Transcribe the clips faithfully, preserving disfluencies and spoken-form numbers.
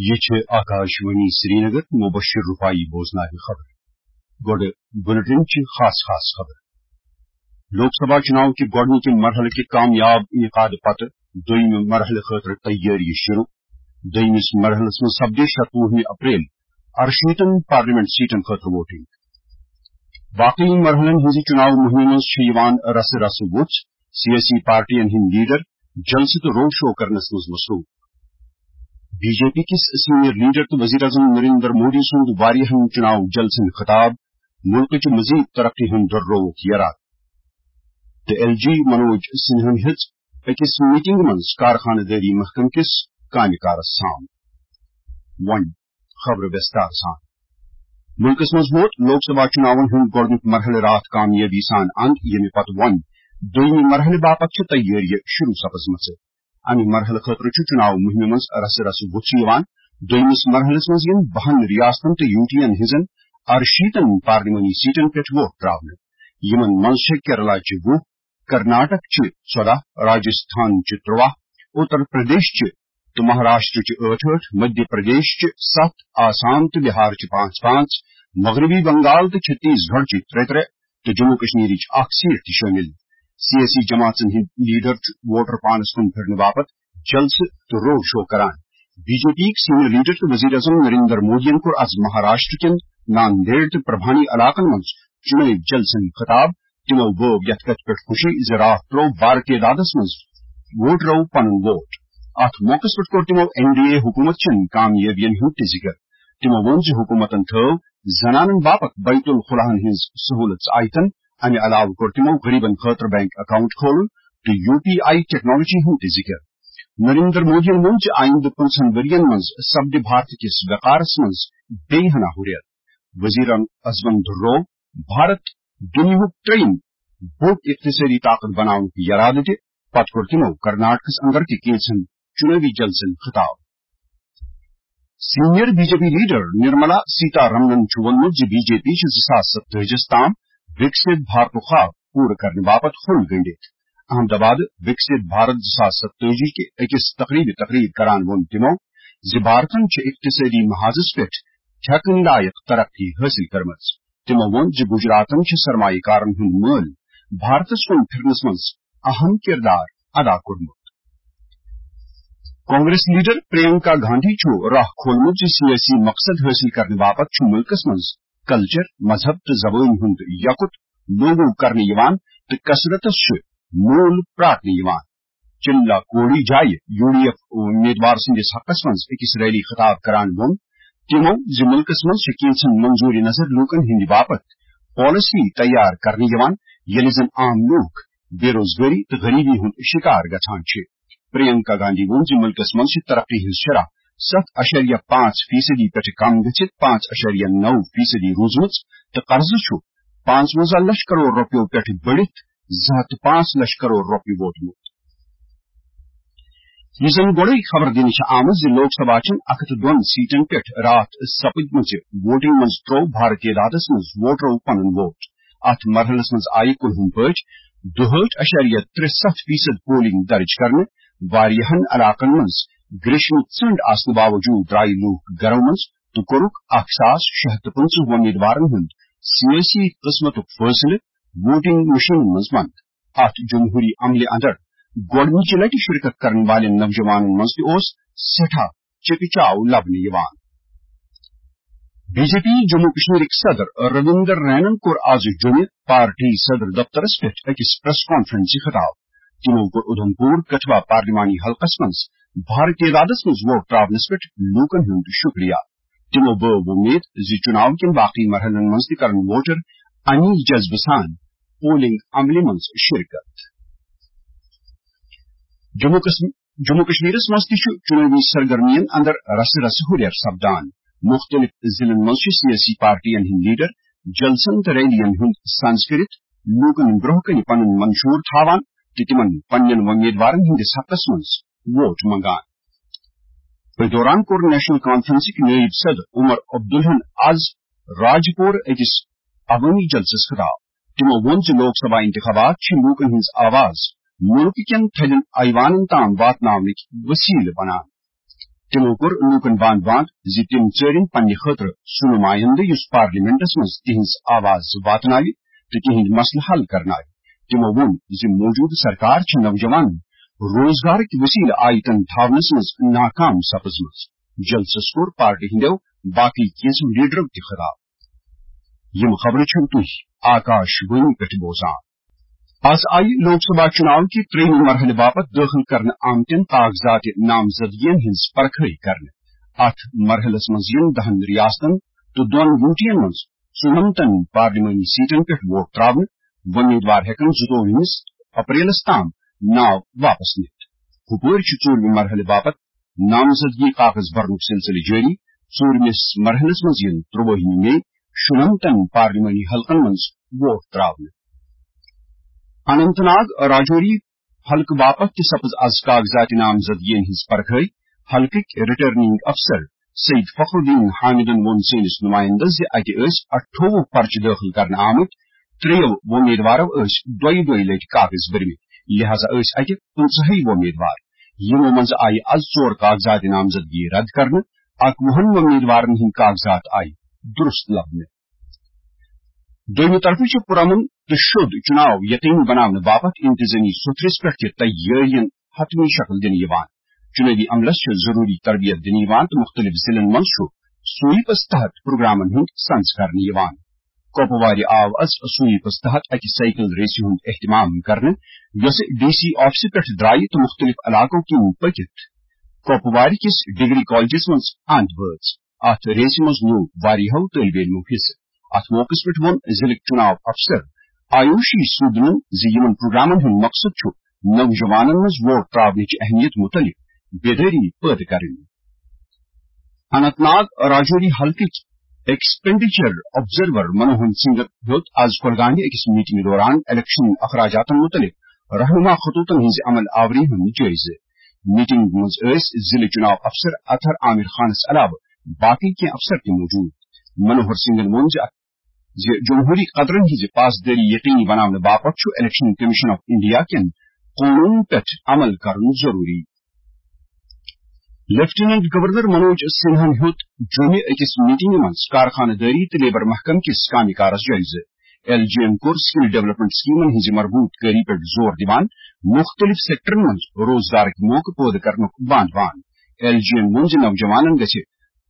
یہ چھِ آکاشوانی سرینگر، مبشر رفاعی بوزناوِ خبر۔ گۄڈٕ بُلٹن چہِ خاص خاص خبر۔ لوک سبھا چُناو کہِ گۄڈٕنِکہِ مرحلہٕ کہِ کامیاب انعقاد پتہٕ دوٚیمہِ مرحلہٕ خٲطرٕ تیٲری شروع۔ دوٚیمِس مرحلس منٛز سپدِ شتوُہمہِ اپریل ارشیٖتن پارلیمنٹ سیٹن خٲطرٕ ووٹنگ۔ باقی مرحلن ہٕنٛزِ چُناو مُہِمہِ منٛز چھِ یِوان رسہٕ رسہٕ وُژھ، سیٲسی پارٹین ہٕنٛدۍ لیڈر جلسہٕ تہٕ روڈ شو کرنس منٛز مصروف۔ بی جے پی کِس سینئر لیڈر تہٕ وزیر اعظم نریندر مودی سُنٛد واریاہن چُناو جلسن خطاب، مُلکٕچ مزید ترقی ہُنٛد دۄدرووُکھ یرادٕ۔ تہٕ ایل جی منوج سنہاہن ہیٚژ أکِس میٹنگ منٛز کارخانہٕ دٲری محکمہٕ کِس کامہِ کارس سام۔ وۄنۍ خبرٕ وِستار سان۔ مُلکس منٛز ووت لوک سبھا چُناون ہُنٛد گۄڈٕنیُک مرحلہٕ راتھ کامیٲبی سان اند، ییٚمہِ پتہٕ وۄنۍ دوٚیمہِ مرحلہٕ باپتھ چھِ تیٲریہِ شروع سپٕزمژٕ۔ امہِ مرحلہٕ خٲطرٕ چھُ چُناو مُہِمہِ منٛز رسہٕ رسہٕ وُژھ یِوان۔ دوٚیمِس مرحلس منٛز یِن بَہَن ریاستن تہٕ یوٗ ٹی ین ہٕنٛزن ارشیٖتن پارلیمانی سیٹن پٮ۪ٹھ ووٹ تراونہٕ۔ یِمن منٛز چھےٚ کیرلا چہِ وُہ، کرناٹک چہِ ژۄداہ، راجستھان چہِ ترٛواہ، اتر پردیش چہِ تہٕ مہاراشٹر چہِ ٲٹھ ٲٹھ، مدھیہ پردیش چہِ ستھ، آسام تہٕ بہار چہِ پانٛژھ پانٛژھ، مغربی بنگال تہٕ چھتیس گڑھ چہِ ترٛےٚ ترٛےٚ تہٕ جموں کشمیرٕچ اکھ سیٹ تہِ شٲمِل۔ سیٲسی جماعژن ہٕنٛدۍ لیڈر چھِ ووٹر پانس کُن پھِرنہٕ باپتھ جلسہٕ تہٕ روڈ شو کران۔ بی جے پی یِکۍ سینئر لیڈر تہٕ وزیر اعظم نریندر مودیَن کوٚر از مہاراشٹر کٮ۪ن ناندیڑ تہٕ پربھانی علاقن منٛز چُنٲوۍ جلسن خطاب۔ تِمو بٲو یتھ کتھِ پٮ۪ٹھ خوشی زِ راتھ ترٛوو بارٕ تعدادس منٛز ووٹرو پنُن ووٹ۔ اتھ موقعس پٮ۪ٹھ کوٚر تِمو این ڈی اے حکوٗمت چٮ۪ن کامیٲبین ہُنٛد تہِ ذِکر۔ تِمو ووٚن زِ حکوٗمتن تھٲو زنانن باپتھ بیت الخلاہن ہٕنٛز سہوٗلژ آیتن۔ امہِ علاوٕ کوٚر تِمو غریبن خٲطرٕ بینک اکاؤنٹ کھولُن تہٕ یو پی آئی ٹیکنالوجی ہُنٛد تہِ ذِکر۔ نریندر مودیَن ووٚن زِ آیندٕ پانٛژن ؤرۍ یَن منٛز سپدِ بھارت کِس وقارس منٛز بیٚیہِ ہنا ہُرٮ۪ر۔ وزیر اعظمن دۄہروو بھارت دُنیاہُک ترٛیٚیِم بوٚڑ اقتصٲدی طاقت بناونُک یرادٕ تہِ۔ پتہٕ کوٚر تِمو کرناٹکس اندر تہِ کینژن چُنٲوی جلسن خطاب۔ Senior B J P leader Nirmala سیتا رمنن چھُ ووٚنمُت زِ بی جے پی چھِ زٕ ساس ستٲجِس تام وِکسِت بھارتُک خواب پوٗرٕ کرنہٕ باپتھ ہوٚل گٔنٛڈِتھ۔ احمد آباد وِکسِت بھارت زٕ ساس ستٲجی کہِ أکِس تقریبہِ تقریر کران ووٚن تِمو زِ بھارتن چھِ اقتصٲدی محاذس پٮ۪ٹھ ٹھیکہٕ لایق ترقی حٲصِل کٔرمٕژ۔ تِمو ووٚن زِ گجراتن چھِ سرمایہ کارن ہُنٛد مٲلۍ بھارتس کُن پھِرنس منٛز اہم کردار ادا کوٚرمُت۔ کانگریس لیڈر پرینکا گاندھی چھُ راہ کھولمُت زِ سیٲسی مقصد حٲصِل کرنہٕ باپتھ چھُ مُلکس منٛز کلچر، مذہب تہٕ زبٲنۍ ہُنٛد یکُت لوگو کرنہٕ یِوان تہٕ کثرتس چھُ مول پرٛاٹنہٕ یِوان۔ چِلا کوڑی جایہِ یوٗ ڈی ایف امیدوار سٕنٛدِس حقس منٛز أکِس ریلی خطاب کران ووٚن تِمو زِ مُلکس منٛز چھِ کینٛژن منظوٗرِ نظر لوٗکن ہٕنٛدِ باپتھ پالیسی تیار کرنہٕ یِوان، ییٚلہِ زن عام لوٗکھ بے روزگٲری تہٕ غریبی ہُنٛد شِکار گژھان چھِ۔ پرینکا گاندھی ووٚن زِ مُلکس منٛز چھِ ترقی ہٕنٛز شرح ستھ اَشاریہ پانٛژھ فیصدی پٮ۪ٹھٕ کم گٔژھِتھ پانٛژھ اَشاریہ نَو فیصدی روٗزمٕژ تہٕ قرضہٕ چھُ پانٛژوَنزاہ لچھ کرور رۄپیو پٮ۪ٹھٕ بٔڑِتھ زٕ ہَتھ تہٕ پانٛژھ لچھ کرور رۄپیہِ ووتمُت۔ یہِ زن گۄڈَے خبر دِنہٕ چھِ آمٕژ زِ لوک سبھا چٮ۪ن اَکھ ہَتھ تہٕ دۄن سیٹن پٮ۪ٹھ راتھ سپٕدمٕژِ ووٹنگ منٛز ترٛوو بھارٕ تعدادس منٛز ووٹرو پنُن ووٹ۔ اتھ مرحلس منٛز آیہِ کُلہُم پٲٹھۍ دُہٲٹھ اَشاریہ ترٛےٚ ستھ فیصد پولنگ درج کرنہٕ۔ واریاہن علاقن منٛز گریشمہٕ ژٔنڈ آسنہٕ باوجوٗد درٛایہِ لوٗکھ گرو منٛز تہٕ کوٚرُکھ اکھ ساس شےٚ ہَتھ تہٕ پٕنٛژٕہ وۄمیدوارن ہُنٛد سیٲسی قٕسمتُک فٲصلہٕ ووٹنگ مشینن منٛز بنٛد۔ اتھ جمہوری عملہِ اندر گۄڈٕنِچہِ لٹہِ شرکت کرن والٮ۪ن نوجوانن منٛز تہِ اوس سٮ۪ٹھاہ چکہ چاو لبنہٕ یِوان۔ بی جے پی جموں کشمیرٕکۍ صدر رویندر رینن کوٚر آز جوٚمہِ پارٹی صدر دفترس پٮ۪ٹھ أکِس پریس کانفرنسہِ خطاب۔ تِمو کوٚر اُدھمپور کٹھوا پارلیمانی حلقس منٛز بھارٕ تعدادس منٛز ووٹ ترٛاونس پٮ۪ٹھ لوٗکن ہُنٛد شُکریہ۔ تِمو بٲو وۄمید زِ چُناو کٮ۪ن باقی مرحلن منٛز تہِ کرن ووٹر اَمی جذبہٕ سان پولنگ عملہِ منٛز شرکت۔ جموں کشمیر جموں کشمیرس منٛز تہِ چھُ چُنٲوی سرگرمین اندر رسہٕ رسہٕ ہُرٮ۪ر سپدان۔ مُختٔلِف ضلعن منٛز چھِ سیٲسی پارٹین ہٕنٛدۍ لیڈر جلسن تہٕ ریلین ہُنٛد سنز کٔرِتھ لوٗکن برٛونٛہہ کنہِ پنُن منشور تھاوان تہٕ تِمن پننٮ۪ن وۄمیدوارن ہٕنٛدِس حقس منٛز ووٹ منٛگان۔ أتھۍ دوران کوٚر نیشنل کانفرنسٕکۍ نٲیِب صدر عمر عبدالہن آز راجپور أکِس عوٲمی جلسس خطاب۔ تِمو ووٚن زِ لوک سبھا انتخابات چھِ لوٗکن ہٕنٛز آواز مُلکہٕ کٮ۪ن تھدٮ۪ن ایوانن تام واتناونٕکۍ وسیلہٕ بنان۔ تِمو کوٚر لوٗکن باند باند زِ تِم ژٲرِن پننہِ خٲطرٕ سُہ نُمایندٕ یُس پارلیمنٹس منٛز تِہنٛز آواز واتناوِ تہٕ تِہنٛدۍ مسلہٕ حل کرناوِ۔ تِمو ووٚن زِ موجودٕ سرکار چھِ نوجوانن روزگارٕکۍ وسیلہٕ آیتن تھاونس منٛز ناکام سپٕزمٕژ۔ جلسس کوٚر پارٹی ہٕنٛدیو باقٕے کینٛژو لیڈرو تہِ خطاب۔ یِم خبرٕ چھِو تُہۍ آکاش وانی پٮ۪ٹھ بوزان۔ از آیہِ لوک سبھا چُناو کہِ ترٛیٚیِمہِ مرحلہٕ باپتھ دٲخل کرنہٕ آمتٮ۪ن کاغذات نامزدگین ہٕنٛز پرکھٲے کرنہٕ۔ اتھ مرحلس منٛز یِن دَہن ریاستن تہٕ دۄن یوٗٹین منٛز ژُنمتن پارلیمانی سیٹن پٮ۪ٹھ ووٹ تراونہٕ۔ وۄمیدوار ہٮ۪کن زٕتووُہمِس اپریلس تام ناو واپس نِتھ۔ ہُپٲرۍ چھُ ژوٗرمہِ مرحلہٕ باپتھ نامزدگی کاغذ بھرنُک سلسلہٕ جٲری۔ ژوٗرمِس مرحلس منٛز یِن ترٛوٲہِمہِ مے شُنمتن پارلیمانی حلقن منٛز ووٹ تراونہٕ۔ اننت ناگ راجوری حلقہٕ باپتھ تہِ سپٕز از کاغذات نامزدگین ہٕنٛز پرکھٲے۔ حلقٕکۍ ریٹرننگ افسر سید فخر الدین حامدن ووٚن سٲنِس نمائندس زِ اتہِ ٲسۍ اَٹھووُہ پرچہٕ دٲخل کرنہٕ آمٕتۍ۔ ترٛیٚیو وۄمیدوارو ٲسۍ دۄیہِ دۄیہِ لٹہِ کاغذ بٔرمٕتۍ، لہذا ٲسۍ اتہِ پٕنٛژٕہے وۄمیدوار۔ یِمو منٛزٕ آیہِ از ژور کاغذات نامزدگی رد کرنہٕ، اکوُہن وۄمیدوارن ہٕنٛدۍ کاغذات آیہِ درست لبنہٕ۔ دوٚیمہِ طرفہٕ چھُ پُرامن تہٕ شوٚد چُناو یقینی بناونہٕ باپتھ انتظٲمی سوٚتھرِس پٮ۪ٹھ تہِ تیٲرین حتمی شکل دِنہٕ یِوان۔ چُنٲوی عملس چھِ ضروٗری تربیت دِنہٕ یِوان تہٕ مُختٔلِف ضلعن منٛز چھُ سویپس تحت پروگرامن ہُنٛد سنز کرنہٕ یِوان۔ کۄپوارِ آو از سویپس تحت اکہِ سائیکل ریسہِ ہُنٛد اہتمام کرنہٕ، یۄسہٕ ڈی سی آفسہٕ پٮ۪ٹھ درایہِ تہٕ مُختٔلِف علاقو کِنۍ پٔکِتھ کۄپوارِ کِس ڈگری کالجس منٛز اند وٲژ۔ اتھ ریسہِ منٛز نیوٗ واریاہو طٲلبہِ علمو حصہٕ۔ اتھ موقعس پٮ۪ٹھ ووٚن ضلعٕکۍ چُناو افسر آیوشی سودنن زِ یِمن پروگرامن ہُنٛد مقصد چھُ نوجوانن منٛز ووٹ تراونٕچ اہمیت مُتعلق بیدٲری پٲدٕ کرٕنۍ۔ اننت ناگ راجوری حلقٕکۍ ایکسپینڈیچر آبزرور منوہر سنگھن ہیوٚت از کۄلگامہِ أکِس میٹنگ دوران الیکشن اخراجاتن مُتعلق رہنما خطوطن ہٕنٛزِ عمل آوری ہُنٛد جٲیزٕ۔ میٹنگ منٛز ٲسۍ ضلعہٕ چُناو افسر اطہر عامر خانس علاوٕ باقٕے کینٛہہ افسر تہِ موجود۔ منوہر سنگھن ووٚن زِ اتھ زِ جمہوری قدرن ہٕنٛزِ پاسدٲری یقینی بناونہٕ باپتھ چھُ الیکشن کمیشن آف انڈیا کٮ۪ن قونوٗنن پٮ۪ٹھ عمل کرُن ضروٗری۔ لیفٹیننٹ گورنر منوج سنہاہن ہیوٚت جوٚمہِ أکِس میٹنگہِ منٛز کارخانہٕ دٲری تہٕ لیبر محکمہٕ کِس کامہِ کارس جٲیزٕ۔ ایل جی یَن کوٚر سکل ڈیولپمنٹ سکیمن ہٕنٛزِ مربوط کٲری پٮ۪ٹھ زور دِوان مُختٔلِف سیکٹرن منٛز روزگارٕکۍ موقعہٕ پٲدٕ کرنُک باند وان۔ ایل جی یَن ووٚن زِ نوجوانن گژھِ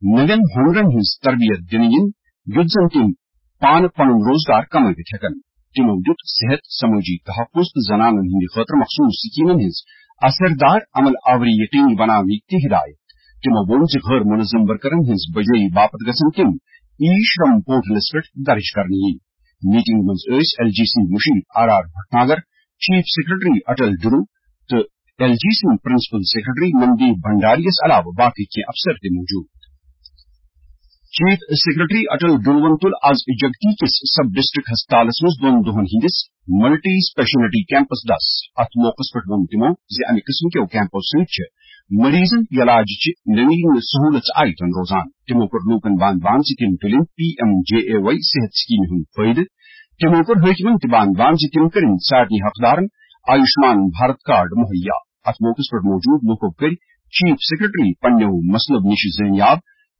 نوٮ۪ن ہُنرن ہٕنٛز تربیت دِنہٕ یِنۍ، یُتھ زن تِم پانہٕ پنُن روزگار کمٲوِتھ ہٮ۪کن۔ تِمو دیُت صحت، سمٲجی تحفظ تہٕ زنانن ہٕنٛدِ خٲطرٕ مخصوٗص سکیمن ہٕنٛز اثردار عمل آوری یقینی بناونٕکۍ تہِ ہدایت۔ تِمو ووٚن زِ غٲر منظم ورکرن ہٕنٛز بجٲیی باپتھ گژھن تِم ای شرم پورٹلس پٮ۪ٹھ درج کرنہٕ یِنۍ۔ میٹنگ منٛز ٲسۍ ایل جی سٕنٛدۍ مُشیر R R Bhatnagar, chief secretary Atal Dulloo تہٕ ایل جی سٕنٛدۍ پرنسپل سیکرٹری مندیپ بھنڈاری یَس علاوٕ باقٕے کینٛہہ افسر تہِ موجود۔ چیف سیکرٹری اٹل ڈروَن تُل از جگتی کِس سب ڈسٹرکٹ ہسپتالس منٛز دۄن دۄہن ہٕنٛدِس ملٹی اسپیشلٹی کیمپس دس۔ اتھ موقعس پٮ۪ٹھ ووٚن تِمو زِ امہِ قٕسمہٕ کیو کیمپو سۭتۍ چھِ مریضن علاج چہِ نوین سہولژ آیتن روزان۔ تِمو کوٚر لوٗکن باند باند زِ تِم تُلِن پی ایم جے اے واے صحت سکیمہِ ہُنٛد فٲیدٕ۔ تِمو کوٚر حٲکمن تہِ باند باند زِ تِم کٔرِن سارنٕے حقدارن آیوشمان بھارت کارڈ مہیا۔ اتھ موقعس پٮ۪ٹھ موجود لوٗکو کٔرۍ چیف سیکرٹری پننیو مسلو نِش زٲنیاب۔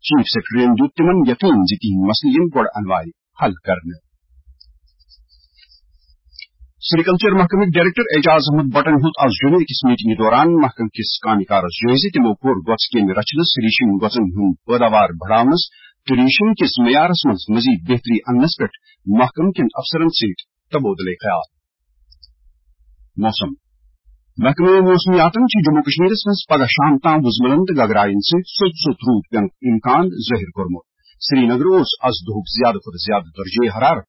چیف سیکرٹریَن دیُت تِمن یقین زِ تِہنٛدۍ مسلہٕ یِن گۄڈٕ انوارِ حل کرنہٕ۔ سیریکلچر محکمٕکۍ ڈائریکٹر اعجاز احمد بٹن ہیوٚت از جوٚمہِ أکِس میٹنگہِ دوران محکمہٕ کِس کامہِ کارس جٲیزٕ۔ تِمو کوٚر گۄژھ کیمہِ رچھنس، ریشم گۄژن ہُنٛد پٲداوار بڑاونس تہٕ ریشم کِس معیارس منٛز مزید بہتری اننس پٮ۪ٹھ محکمہٕ کٮ۪ن افسرن سۭتۍ تبادلہ خیال۔ موسم۔ محکمہٕ موسمیاتن چھُ جموں کشمیرس منٛز پگہہ شام تام وُزملن تہٕ گگراین سۭتۍ سوٚت سوٚت روٗد پینُک امکان ظٲہِر کوٚرمُت۔ سرینگر اوس از دۄہُک زیادٕ کھۄتہٕ زیادٕ درجہ حرارت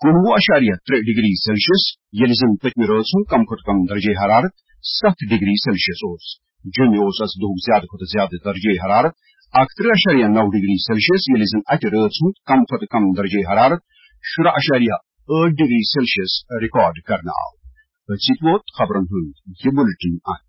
کُنوُہ اعشاریہ ترٛےٚ ڈگری سیلسیس، ییٚلہِ زن پٔتمہِ رٲژ ہُنٛد کم کھۄتہٕ کم درجہ حرارت ستھ ڈگری سیلسیس اوس۔ جوٚمہِ اوس از دۄہُک زیادٕ کھۄتہٕ زیادٕ درجہ حرارت اکترٕہ اعشاریہ نو ڈگری سیلسیس، ییٚلہِ زن اتہِ رٲژ ہُنٛد کم کھۄتہٕ کم درجہ حرارت شُراہ اعشاریہ ٲٹھ ڈگری سیلسیس ریکارڈ کرنہٕ آو۔ أتھۍ سۭتۍ ووت خبرن ہُنٛد یہِ بُلٹن انت۔